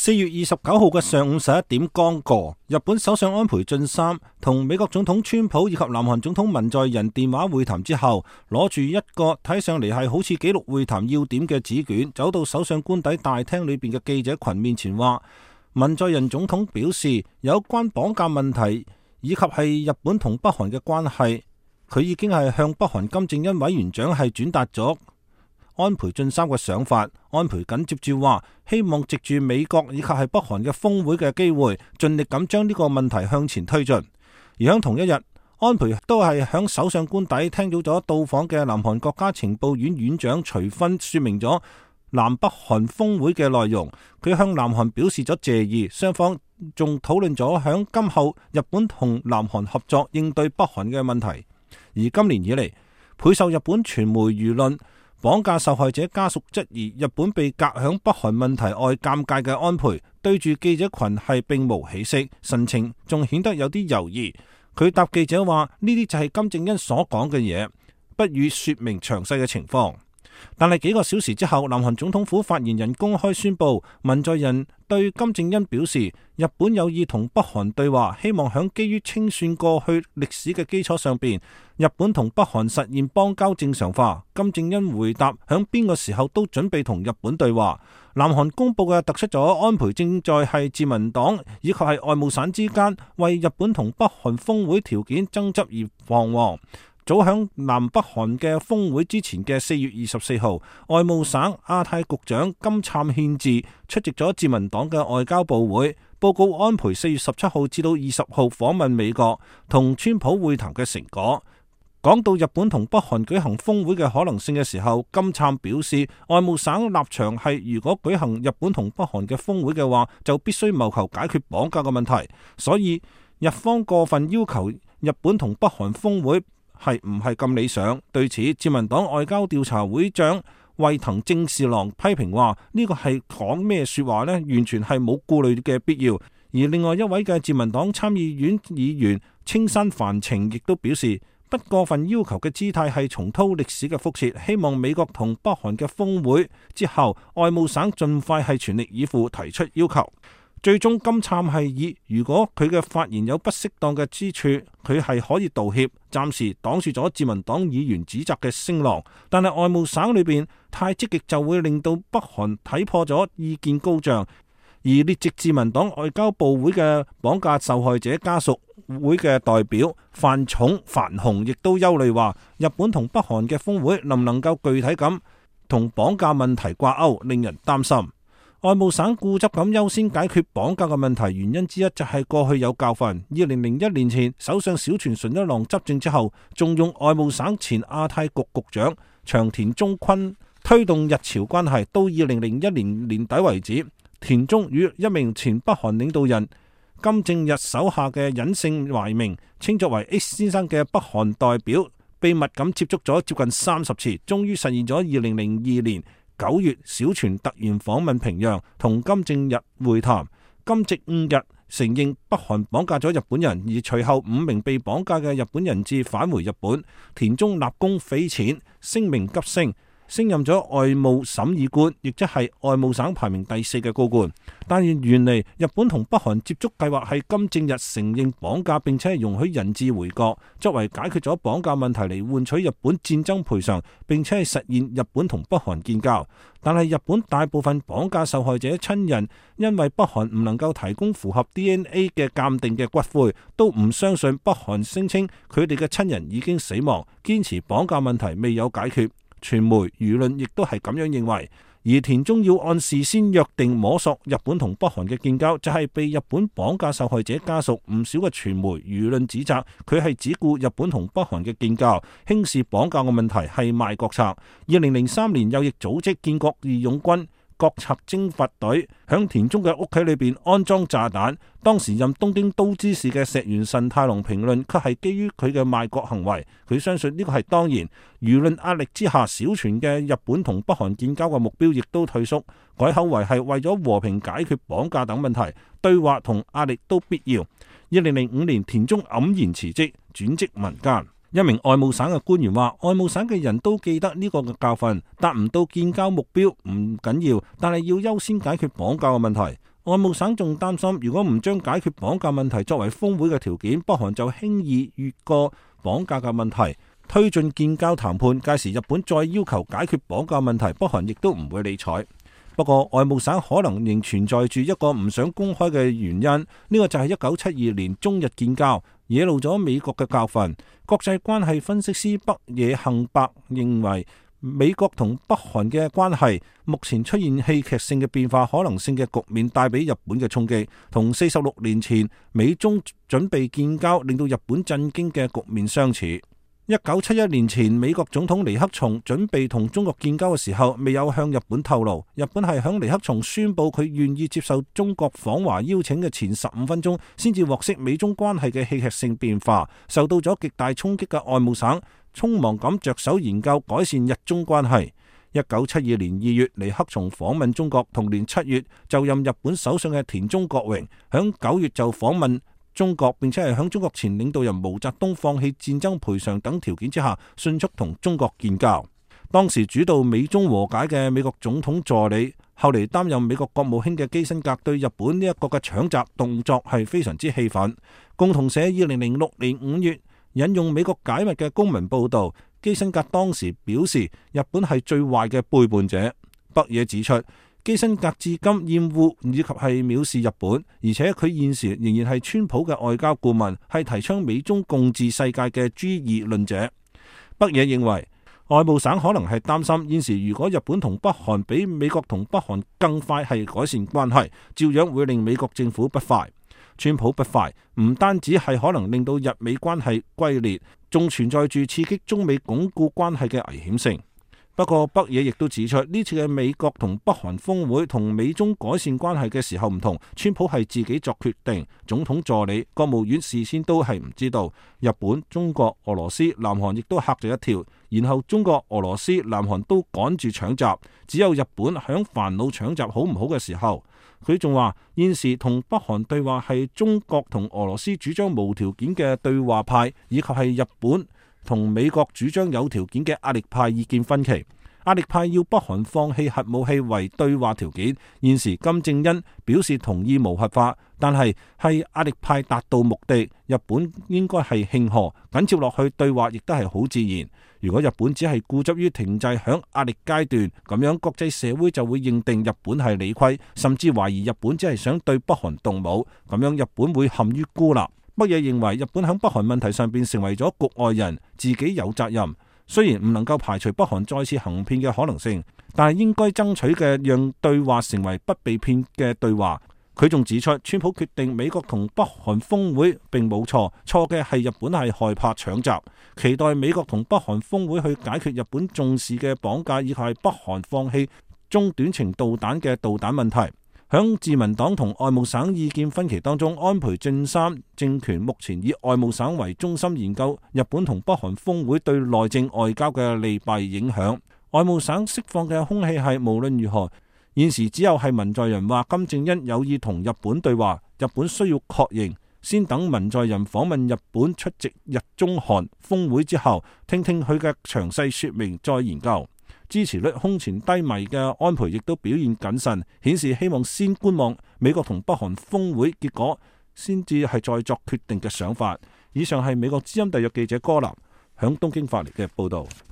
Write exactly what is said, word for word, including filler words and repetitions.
四月二十九號嘅上午十一點剛過，日本首相安倍晉三同美國總統川普以及南韓總統文在寅電話會談之後，攞住一個睇上嚟係好似記錄會談要點嘅紙卷，走到首相官邸大廳裏邊嘅記者群面前話，文在寅總統表示有關綁架問題以及係日本同北韓嘅關係，佢已經係向北韓金正恩委員長係轉達咗安倍晉三嘅想法。安倍緊接住話，希望藉住美國以及係北韓嘅峰會嘅機會，盡力咁將呢個問題向前推進。而喺同一日，安倍都係響首相官邸聽到咗到訪嘅南韓國家情報院院長徐薰說明咗南北韓峰會嘅內容。佢向南韓表示咗謝意，雙方仲討論咗響今後日本同南韓合作應對北韓嘅問題。而今年以嚟，倍受日本傳媒輿論綁架受害者家屬質疑日本被隔響北韓問題外尷尬嘅安倍，對住記者群係並無起色，神情仲顯得有啲猶豫。佢答記者話：呢啲就係金正恩所講嘅嘢，不予說明詳細嘅情況。但係幾個小時之後，南韓總統府發言人公開宣布，文在寅對金正恩表示，日本有意同北韓對話，希望響基於清算過去歷史嘅基礎上邊，日本同北韓實現邦交正常化。金正恩回答，響邊個時候都準備同日本對話。南韓公布嘅突出咗安倍正在係自民黨以及係外務省之間為日本同北韓峰會條件爭執而彷徨。早響南北韓嘅峰會之前嘅四月二十四號，外務省亞太局長金燦憲治出席咗自民黨嘅外交部會，報告安倍四月十七號至到二十號訪問美國同川普會談嘅成果。講到日本同北韓舉行峰會嘅可能性嘅時候，金燦表示，外務省立場係如果舉行日本同北韓嘅峰會嘅話，就必須謀求解決綁架嘅問題。所以日方過分要求日本同北韓峰會係唔係咁理想？對此，自民黨外交調查會長衛藤正士郎批評話：呢個係講咩說話呢？完全係冇顧慮嘅必要。而另外一位嘅自民黨參議院議員青山繁晴亦都表示，不過分要求嘅姿態係重蹈歷史嘅覆轍，希望美國同北韓嘅峰會之後，外務省盡快係全力以赴提出要求。最終金燦係以如果佢嘅發言有不適當嘅之處，佢係可以道歉，暫時擋住咗自民黨議員指責嘅聲浪。但係外務省裏邊太積極就會令到北韓睇破咗意見高漲。而列席自民黨外交部會嘅綁架受害者家屬會嘅代表范重范雄亦都憂慮話，日本同北韓嘅峰會能唔能夠具體咁同綁架問題掛鈎，令人擔心。外務省固執咁優先解決綁架嘅問題，原因之一就係過去有教訓。二零零一年前，首相小泉純一郎執政之後，仲用外務省前亞太局局長長田忠坤推動日朝關係。到二零零一年年底為止，田中與一名前北韓領導人金正日手下嘅隱姓埋名，稱作為 X 先生嘅北韓代表，秘密咁接觸咗接近三十次，終於實現咗二零零二年九月，小泉突然訪問平壤，同金正日會談。金正日承認北韓綁架咗日本人，而隨後五名被綁架嘅日本人質返回日本。田中立功匪淺，聲名急升，升任咗外務審議官，亦即係外務省排名第四嘅高官。但係原嚟日本同北韓接觸計劃係金正日承認綁架，並且係容許人質回國，作為解決咗綁架問題嚟換取日本戰爭賠償，並且係實現日本同北韓建交。但係日本大部分綁架受害者親人因為北韓唔能夠提供符合 D N A 嘅鑑定嘅骨灰，都唔相信北韓聲稱佢哋嘅親人已經死亡，堅持綁架問題未有解決。傳媒輿論亦都係咁樣認為。而田中要按事先約定摸索日本同北韓嘅建交，就係、是、被日本綁架受害者家屬唔少嘅傳媒輿論指責佢係只顧日本同北韓嘅建交，輕視綁架嘅問題係賣國策。二零零三年右翼組織建國義勇軍國策征伐隊響田中嘅屋企裏邊安裝炸彈，當時任東京都知事嘅石原慎太郎評論卻係基於佢嘅賣國行為，佢相信呢個係當然。輿論壓力之下，小泉嘅日本同北韓建交嘅目標亦都退縮，改口為係為咗和平解決綁架等問題，對話同壓力都必要。二零零五年，田中黯然辭職，轉職民間。一名外務省嘅官員話，外務省嘅人都記得呢個嘅教訓，達唔到建交目標唔緊要，但係要優先解決綁架嘅問題。外務省仲擔心，如果唔將解決綁架問題作為峰會嘅條件，北韓就輕易越過綁架嘅問題，推進建交談判。屆時日本再要求解決綁架問題，北韓亦都唔會理睬。不過外務省可能仍存在住一個唔想公開嘅原因，呢、這個就係一九七二年中日建交，惹怒咗美國嘅教訓。國際關係分析師北野幸伯認為，美國同北韓嘅關係目前出現戲劇性嘅變化可能性嘅局面，帶俾日本嘅衝擊，同四十六年前美中準備建交令到日本震驚嘅局面相似。一九七一年前，美國總統尼克松準備同中國建交嘅時候，未有向日本透露。日本係響尼克松宣布佢願意接受中國訪華邀請嘅前十五分鐘，先至獲悉美中關係嘅戲劇性變化。受到咗極大衝擊嘅外務省，匆忙咁着手研究改善日中關係。一九七二年二月，尼克松訪問中國，同年七月就任日本首相嘅田中角榮，響九月就訪問中國，並且係響中國前領導人毛澤東放棄戰爭賠償等條件之下，迅速同中國建交。當時主導美中和解嘅美國總統助理，後嚟擔任美國國務卿嘅基辛格，對日本呢一個嘅搶閘動作係非常之氣憤。共同社二零零六年五月引用美國解密嘅公民報道，基辛格當時表示日本係最壞嘅背叛者。北野指出，基辛格至今厭惡以及係藐視日本，而且佢現時仍然係川普嘅外交顧問，係提倡美中共治世界嘅 G 二論者。北野認為，外務省可能係擔心現時如果日本同北韓比美國同北韓更快係改善關係，照樣會令美國政府不快。川普不快，唔單止係可能令到日美關係龜裂，仲存在住刺激中美鞏固關係嘅危險性。不過北野亦都指出，呢次嘅美國同北韓峰會同美中改善關係嘅時候唔同，川普係自己作決定，總統助理、國務院事先都係唔知道。日本、中國、俄羅斯、南韓亦都嚇咗一跳，然後中國、俄羅斯、南韓都趕住搶閘，只有日本響煩惱搶閘好唔好嘅時候。佢仲話現時同北韓對話係中國同俄羅斯主張無條件嘅對話派，以及係日本同美國主張有條件嘅壓力派意見分歧。壓力派要北韓放棄核武器為對話條件，現時金正恩表示同意無核化，但係係壓力派達到目的，日本應該係慶賀，緊接落去對話亦都係好自然。如果日本只係固執於停滯響壓力階段，咁樣國際社會就會認定日本係理虧，甚至懷疑日本只係想對北韓動武，咁樣日本會陷於孤立。北野認為日本響北韓問題上邊成為咗局外人，自己有責任。雖然唔能夠排除北韓再次行騙嘅可能性，但係應該爭取嘅讓對話成為不被騙嘅對話。佢仲指出，川普決定美國同北韓峰會並冇錯，錯嘅係日本係害怕搶閘，期待美國同北韓峰會去解決日本重視嘅綁架，以及係北韓放棄中短程導彈嘅導彈問題。響自民黨同外務省意見分歧當中，安倍晉三政權目前以外務省為中心研究日本同北韓峰會對內政外交嘅利弊影響。外務省釋放嘅空氣係無論如何，現時只有係文在寅話金正恩有意同日本對話，日本需要確認，先等文在寅訪問日本出席日中韓峰會之後，聽聽佢嘅詳細說明再研究。支持率空前低迷嘅安倍亦都表現謹慎，顯示希望先觀望美國同北韓峰會結果，先至係再作決定嘅想法。以上係美國之音特約記者柯南響東京發嚟嘅報道。